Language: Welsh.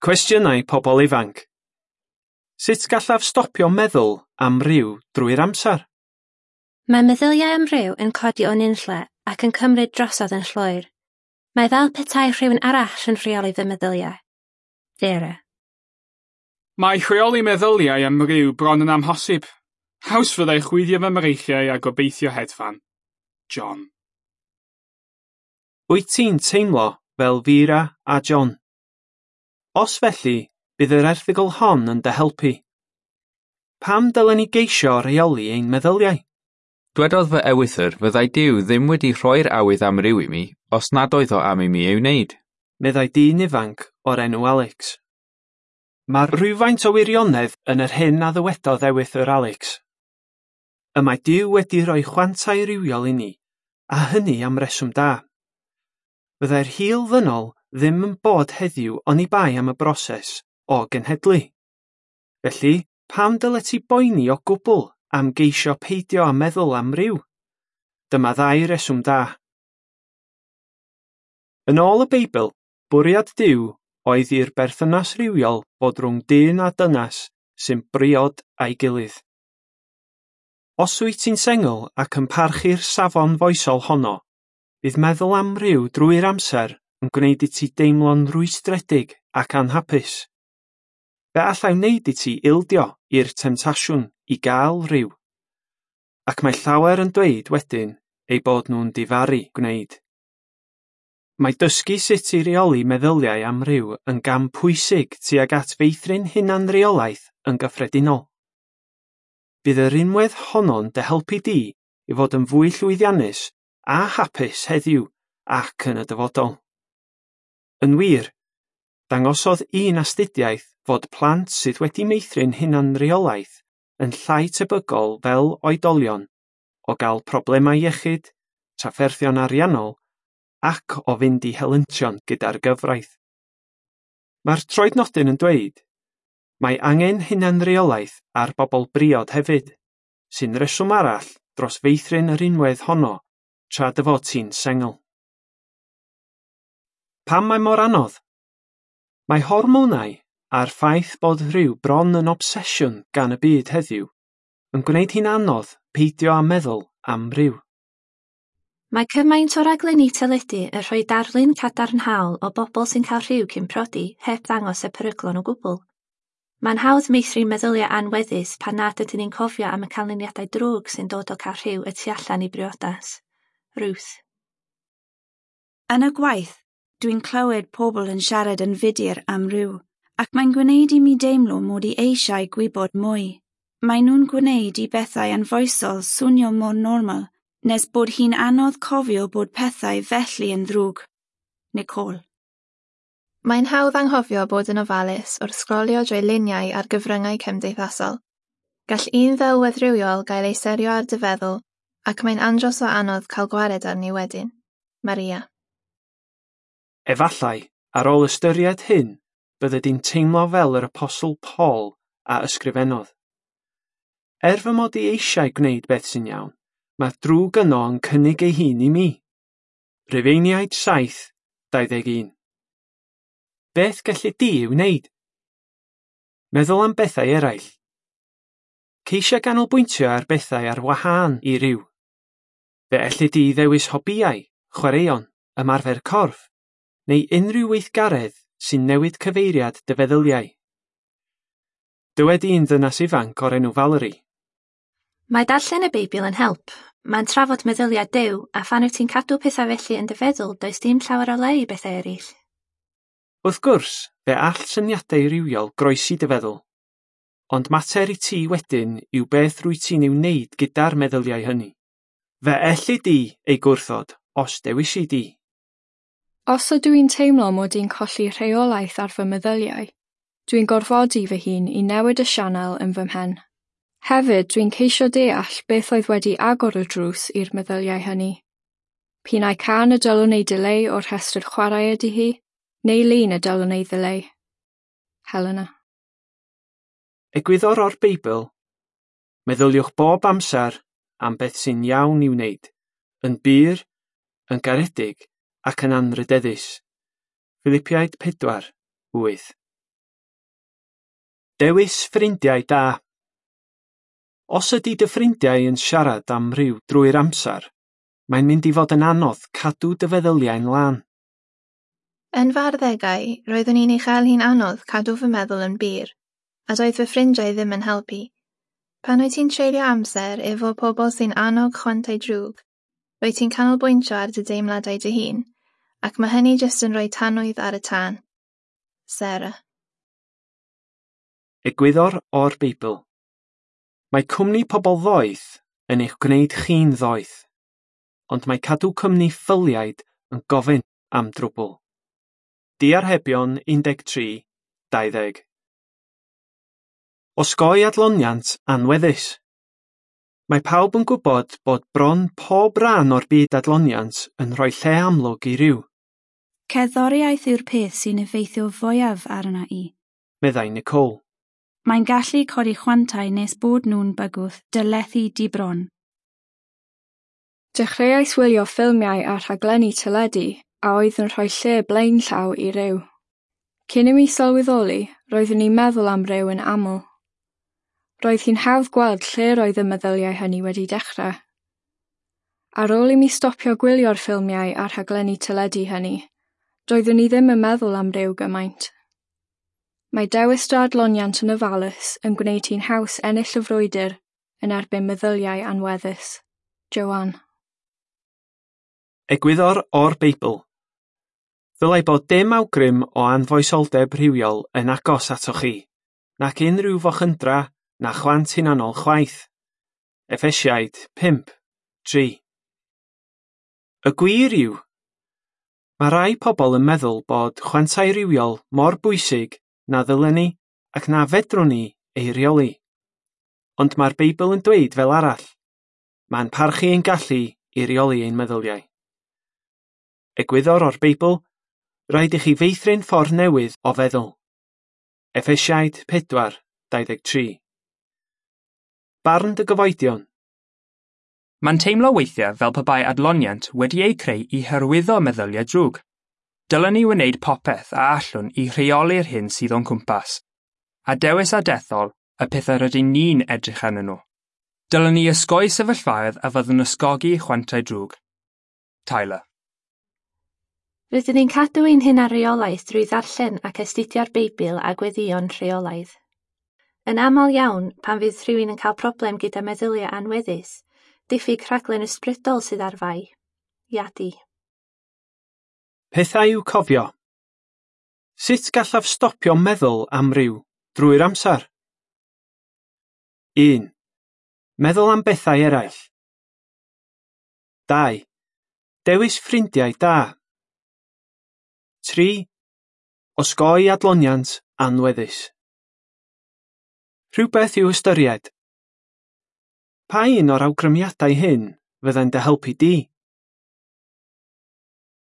Cwestiynau pobl ifanc. Sut gallaf stopio meddwl am ryw drwy'r amser? Mae meddyliau am ryw yn codi o nunlle ac yn cymryd drosodd yn llwyr. Mae fel petai rhywun arall yn rheoli fy meddyliau. Vera. Mae rheoli meddyliau am ryw bron yn amhosib. Haws fyddai chwifio fy mreichiau a gobeithio hedfan. John. Wyt ti'n teimlo fel Vera a John? Os felly, bydd yr erthygl hon yn dy helpu. Pam dylen ni geisio rheoli ein meddyliau? Dwedodd fy ewythr fyddai Duw ddim wedi rhoi'r awydd am ryw i mi os nad oedd o am i mi ei wneud. Meddai dyn ifanc o'r enw Alex. Mae rhywfaint o wirionedd yn yr hyn a ddywedodd ewythr Alex. Y mae Duw wedi rhoi chwantau rywiol i ni, a hynny am reswm da. Fyddai'r hil ddynol ddim yn bod heddiw oni bai am y broses o genhedlu. Felly, pam dylet ti boeni o gwbl am geisio peidio â meddwl am ryw? Dyma ddau reswm da. Yn ôl y Beibl, bwriad Duw oedd i'r berthynas rywiol fod rhwng dyn a dynas sy'n briod â'i gilydd. Os wyt ti'n sengl ac yn parchu'r safon foesol honno, bydd meddwl am ryw drwy'r amser yn gwneud i ti deimlo'n rwystredig ac anhapus. Fe allai wneud i ti ildio i'r temtasiwn i gael rhyw. Ac mae llawer yn dweud wedyn eu bod nhw'n difaru gwneud. Mae dysgu sut i reoli meddyliau am ryw yn gam pwysig tuag at feithrin hunanreolaeth yn gyffredinol. Bydd yr unwedd honno'n dy helpu di i fod yn fwy llwyddiannus a hapus heddiw ac yn y dyfodol. Yn wir, dangosodd un astudiaeth fod plant sydd wedi meithrin hunanreolaeth yn llai tebygol fel oedolion o gael problemau iechyd, trafferthion ariannol ac o fynd i helyntion gyda'r gyfraith. Mae'r troednodyn yn dweud, mae angen hunanreolaeth ar bobl briod hefyd, sy'n reswm arall dros feithrin yr unwedd honno tra dy fod ti'n sengl. Pam mae mor anodd? Mae hormonau a'r ffaith bod rhyw bron yn obsesiwn gan y byd heddiw yn gwneud hi'n anodd peidio â meddwl am ryw. Mae cymaint o raglenni teledu yn rhoi darlun cadarnhaol o bobl sy'n cael rhyw cyn priodi heb ddangos y peryglon o gwbl. Mae'n hawdd meithrin meddyliau anweddus pan nad ydyn ni'n cofio am y canlyniadau drwg sy'n dod o cael rhyw y tu allan i briodas. Ruth. Yn y gwaith, dwi'n clywed pobl yn siarad yn fudur am ryw, ac mae'n gwneud i mi deimlo mod i eisiau gwybod mwy. Maen nhw'n gwneud i bethau anfoesol swnio mor normal, nes bod hi'n anodd cofio bod pethau felly yn ddrwg. Nicole. Mae'n hawdd anghofio bod yn ofalus wrth sgrolio drwy luniau ar gyfryngau cymdeithasol. Gall un ddelwedd rywiol gael ei serio ar dy feddwl, ac mae'n andros o anodd cael gwared arni wedyn. Maria. Efallai, ar ôl ystyried hyn, bydde di'n teimlo fel yr Apostol Paul a ysgrifennodd. Er fy mod i eisiau gwneud beth sy'n iawn, mae drwg yno yn cynnig ei hun i mi. Rufeiniaid 7:21. Beth gelli di ei wneud? Meddwl am bethau eraill. Ceisia ganolbwyntio ar bethau ar wahân i ryw. Fe elli di ddewis hobïau, chwaraeon, ymarfer corff, neu unrhyw weithgaredd sy'n newid cyfeiriad dy feddyliau. Dywed un ddynas ifanc o'r enw Valerie. Mae darllen y Beibl yn help. Mae'n trafod meddyliau Duw, a phan wyt ti'n cadw pethau felly yn dy feddwl, does dim llawer o le i bethau eraill. Wrth gwrs, fe all syniadau rywiol groesi dy feddwl. Ond mater i ti wedyn yw beth rwyt ti'n ei wneud gyda'r meddyliau hynny. Fe elli di ei gwrthod os dewisi di. Os ydw i'n teimlo mod i'n colli rheolaeth ar fy meddyliau, dwi'n gorfodi fy hun i newid y sianel yn fy mhen. Hefyd, dwi'n ceisio deall beth oedd wedi agor y drws i'r meddyliau hynny. P'un ai cân y dylwn ei dileu o'r rhestr chwarae ydy hi, neu lun y dylwn ei ddileu. Helena. Egwyddor o'r Beibl, meddyliwch bob amser am beth sy'n iawn i'w wneud, yn bur, yn garedig ac yn anrhydeddus. Philipiaid 4:8. Dewis ffrindiau da. Os ydy dy ffrindiau yn siarad am ryw drwy'r amser, mae'n mynd i fod yn anodd cadw dy feddyliau'n lân. Yn fy arddegau, roeddwn i'n ei chael hi'n anodd cadw fy meddwl yn bur, a doedd fy ffrindiau ddim yn helpu. Pan wyt ti'n treulio amser efo pobl sy'n annog chwantau drwg, rwyt ti'n canolbwyntio ar dy deimladau dy hun, ac mae hynny jyst yn rhoi tanwydd ar y tân. Sarah. Egwyddor o'r Beibl. Mae cwmni pobl ddoeth yn eich gwneud chi'n ddoeth, ond mae cadw cwmni ffyliaid yn gofyn am drwbl. Diarhebion 13, 20. Osgoi adloniant anweddus. Mae pawb yn gwybod bod bron pob rhan o'r byd adloniant yn rhoi lle amlwg i ryw. Cerddoriaeth yw'r peth sy'n effeithio fwyaf arna i, meddai Nicole. Mae'n gallu codi chwantau nes bod nhw'n bygwth dy lethu di bron. Dechreuais wylio ffilmiau a rhaglenni teledu a oedd yn rhoi lle blaenllaw i ryw. Cyn i mi sylweddoli, roeddwn i'n meddwl am ryw yn aml. Roedd hi'n hawdd gweld lle roedd y meddyliau hynny wedi dechrau. Ar ôl i mi stopio gwylio'r ffilmiau a rhaglenni teledu hynny, doeddwn i ddim yn meddwl am ryw gymaint. Mae dewis dy adloniant yn ofalus yn gwneud hi'n haws ennill y frwydr yn erbyn meddyliau anweddus. Joanne. Egwyddor o'r Beibl. Ddylai bod dim awgrym o anfoesoldeb rhywiol yn agos atoch chi, nac unrhyw fochydra na chwant hunanol chwaith. Effesiaid 5, 3. Y gwir yw, mae rai pobl yn meddwl bod chwantau rhywiol mor bwysig na ddylen ni ac na fedrwn ni ei reoli. Ond mae'r Beibl yn dweud fel arall. Mae'n parchu ein gallu i reoli ein meddyliau. Egwyddor o'r Beibl, rhaid i chi feithrin ffordd newydd o feddwl. Effesiaid 4, 23. Barn dy gyfoedion. Mae'n teimlo weithiau fel pe bai adloniant wedi ei creu i hyrwyddo meddyliau drwg. Dylen ni wneud popeth a allwn i rheoli'r hyn sydd o'n cwmpas, a dewis a dethol y pethau rydyn ni'n edrych arnyn nhw. Dylen ni osgoi sefyllfaoedd a fyddwn ysgogi chwantau drwg. Tyler. Rydyn ni'n cadw ein hunanreolaeth drwy ddarllen ac astudio'r Beibl a gweddïo'n rheolaidd. Yn aml iawn, pan fydd rhywun yn cael problem gyda meddyliau anweddus, diffyg rhaglen ysbrydol sydd ar fai. Iadi. Pethau i'w cofio. Sut gallaf stopio meddwl am ryw drwy'r amser? 1. Meddwl am bethau eraill. 2. Dewis ffrindiau da. 3. Osgoi adloniant anweddus. Rhywbeth i'w ystyried. Pa un o'r awgrymiadau hyn fyddai'n dy helpu di?